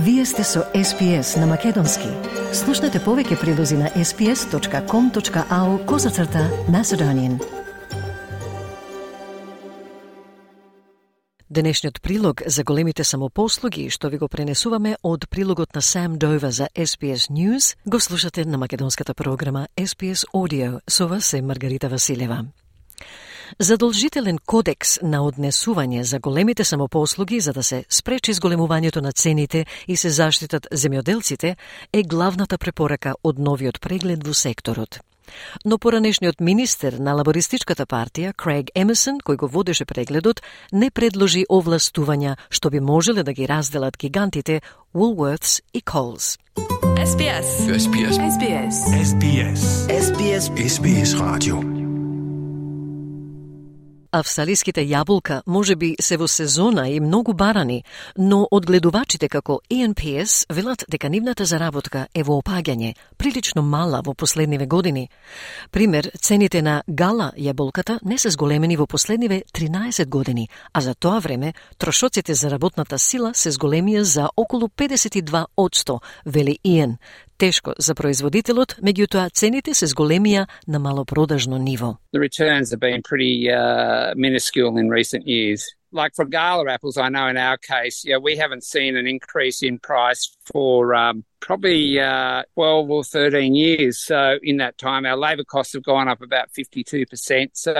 Вие сте со SPS на Македонски. Слушнете повеќе прилози на sps.com.au/Macedonian. Денешниот прилог за големите самопослуги, што ви го пренесуваме од прилогот на Сам Дова за SPS News, го слушате на македонската програма SPS Audio. Со вас е Маргарита Василева. Задолжителен кодекс на однесување за големите самопослуги за да се спречи зголемувањето на цените и се заштитат земјоделците е главната препорака од новиот преглед во секторот. Но поранешниот министер на лабористичката партија, Крейг Емерсон, кој го водеше прегледот, не предложи овластувања што би можеле да ги разделат гигантите Woolworths и Coles. SBS. SBS. SBS. SBS. SBS. SBS Radio. Австралиските јаболка можеби се во сезона и многу барани, но одгледувачите како ENPS велат дека нивната заработка е во опаѓање, прилично мала во последниве години. Пример, цените на гала јаболката не се зголемени во последниве 13 години, а за тоа време трошоците за работната сила се зголемија за околу 52%, вели Иен. Тешко за производителот, меѓутоа цените се зголемија на малопродажно ниво. The returns have been pretty minuscule in recent years. Like for gala apples, I know in our case, we haven't seen an increase in price for probably 12 or 13 years. So in that time, our labour costs have gone up about 52%. So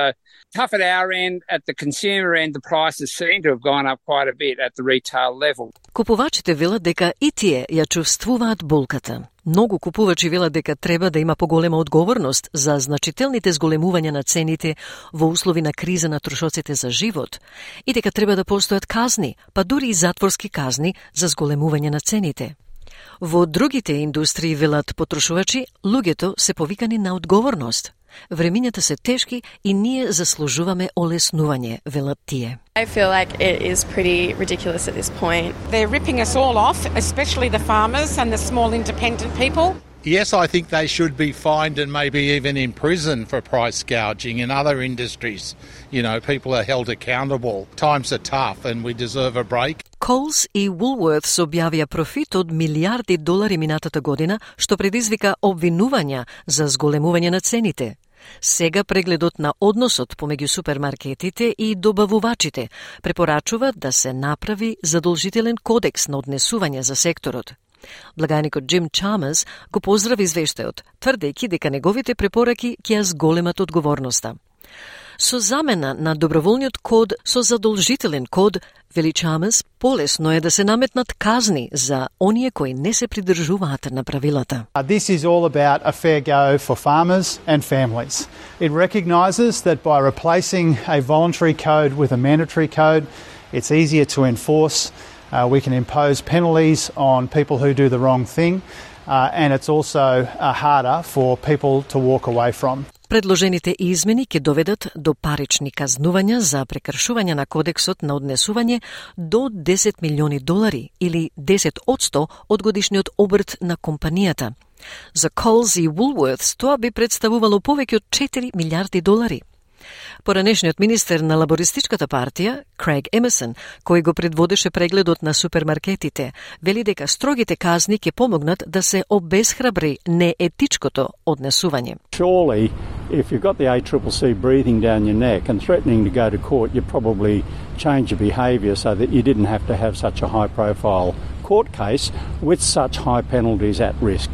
tough at our end. At the consumer end, the prices seem to have gone up quite a bit at the retail level. Купувачите велат дека и тие ја чувствуваат болката. Многу купувачи велат дека треба да има поголема одговорност за значителните зголемувања на цените во услови на криза на трошоците за живот и дека треба да постојат казни, па дури и затворски казни за зголемување на цените. Во другите индустрии, велат потрошувачи, луѓето се повикани на одговорност. Времињата се тешки и ние заслужуваме олеснување, велат тие. I feel like it is pretty ridiculous at this point. They're ripping us all off, especially the farmers and the small independent people. Yes, I think they should be fined and maybe even in prison for price gouging. In other industries, people are held accountable. Times are tough and we deserve a break. Coles и Woolworths објавија профит од милиарди долари минатата година, што предизвика обвинувања за зголемување на цените. Сега прегледот на односот помеѓу супермаркетите и добавувачите препорачува да се направи задолжителен кодекс на однесување за секторот. Благаникот Джим Чамерс го поздрави извештајот, тврдејќи дека неговите препораки ќе ја зголемат одговорноста. Со замена на доброволниот код со задолжителен код, вели Чамерс, полесно е да се наметнат казни за оние кои не се придржуваат на правилата. This is all about a fair go for farmers and families. It recognises that by replacing a voluntary code with a mandatory code, it's easier to enforce. We can impose penalties on people who do the wrong thing, and it's also harder for people to walk away from. Предложените измени ќе доведат до парични казнувања за прекршување на кодексот на однесување до $10 милиони или 10% од годишниот обрт на компанијата. За Coles и Woolworths тоа би представувало повеќе од $4 милиарди. Поранешниот министер на лабористичката партија, Крейг Емерсон, кој го предводеше прегледот на супермаркетите, вели дека строгите казни ќе помогнат да се обесхрабри неетичкото однесување. Surely, if you've got the ACCC breathing down your neck and threatening to go to court, you probably change your behaviour so that you didn't have to have such a high-profile court case with such high penalties at risk.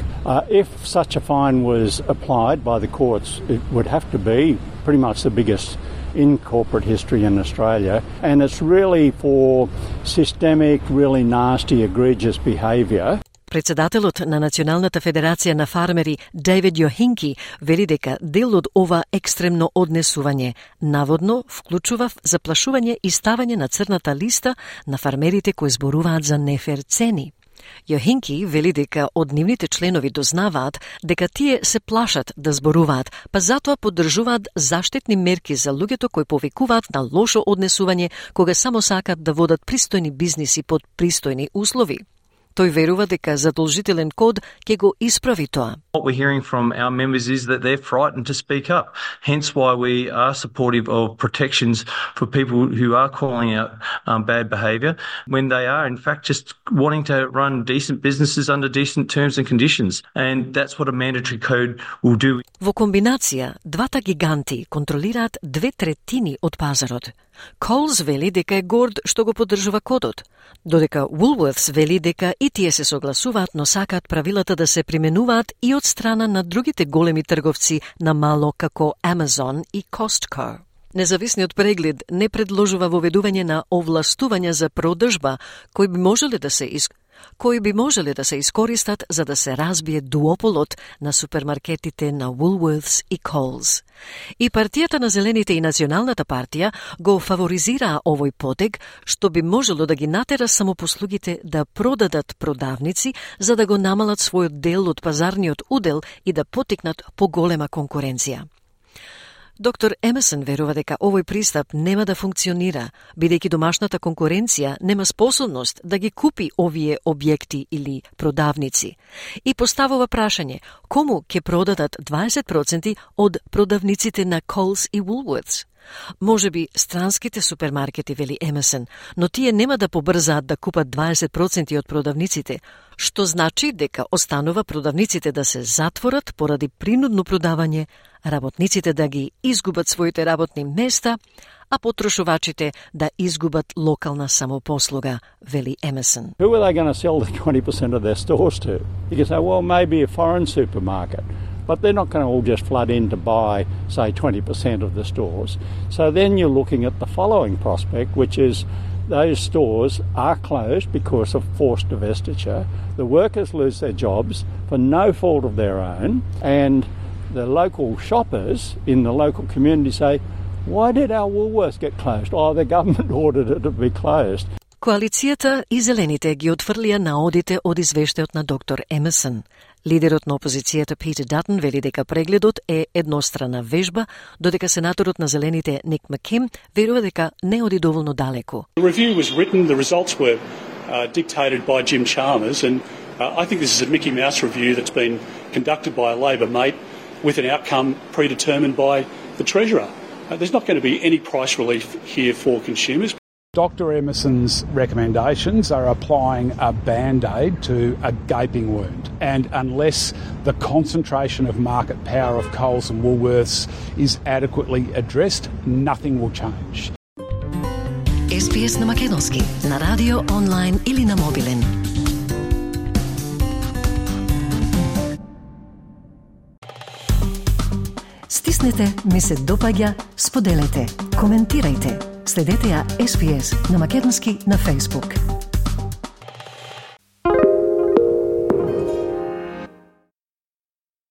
If such a fine was applied by the courts, it would have to be pretty much the biggest in corporate history in Australia, and it's really for systemic, really nasty, egregious behaviour. Председателот на Националната федерација на фармери Дейвид Јохинки вели дека дел од ова екстремно однесување наводно вклучува заплашување и ставање на црната листа на фармерите кои зборуваат за нефер цени. Јохинки вели дека од нивните членови дознаваат дека тие се плашат да зборуваат, па затоа поддржуваат заштитни мерки за луѓето кои повикуваат на лошо однесување кога само сакат да водат пристојни бизниси под пристојни услови. Тој верува дека задолжителен код ќе го исправи тоа. What we're hearing from our members is that they're frightened to speak up. Hence why we are supportive of protections for people who are calling out bad behaviour when they are in fact just wanting to run decent businesses under decent terms and conditions. And that's what a mandatory code will do. Во комбинација, двата гиганти контролираат 2/3 од пазарот. Coles вели дека е горд што го поддржува кодот, додека Woolworths вели дека и тие се согласуваат, но сакаат правилата да се применуваат и од страна на другите големи трговци на мало како Amazon и Costco. Независниот преглед не предложува воведување на овластувања за продажба кои би можеле да се искористат за да се разбие дуополот на супермаркетите на Woolworths и Coles. И партијата на Зелените и Националната партија го фаворизираа овој потег, што би можело да ги натера самопослугите да продадат продавници за да го намалат својот дел од пазарниот удел и да потикнат поголема конкуренција. Доктор Емерсон верува дека овој пристап нема да функционира, бидејќи домашната конкуренција нема способност да ги купи овие објекти или продавници. И поставува прашање, кому ќе продадат 20% од продавниците на Coles и Woolworths? Можеби странските супермаркети, вели Емерсон, но тие нема да побрзаат да купат 20% од продавниците, што значи дека останува продавниците да се затворат поради принудно продавање, работниците да ги изгубат своите работни места, а потрошувачите да изгубат локална самопослуга, вели Емерсон. Who are they going to sell the 20% of their stores to? You can say, well, maybe a foreign supermarket. But they're not going to all just flood in to buy, say, 20% of the stores. So then you're looking at the following prospect, which is those stores are closed because of forced divestiture. The workers lose their jobs for no fault of their own, and the local shoppers in the local community say, why did our Woolworths get closed? Oh, the government ordered it to be closed. Коалицијата и Зелените ги отфрлија наодите од извештајот на доктор Емерсон. Лидерот на опозицијата Питер Датон вели дека прегледот е еднострана вежба, додека сенаторот на Зелените Ник Маккейн верува дека не оди доволно далеко. The review was written, the results were dictated by Jim Chalmers, and I think this is a Mickey Mouse review that's been conducted by a Labor mate with an outcome predetermined by the Treasurer. There's not going to be any price relief here for consumers. Dr. Emerson's recommendations are applying a band-aid to a gaping wound, and unless the concentration of market power of Coles and Woolworths is adequately addressed, nothing will change. SPS на македонски, на радио, онлайн или на мобилен. Стиснете, ми се допаѓа, споделете, коментирајте. Следете ја SPS на македонски на Facebook.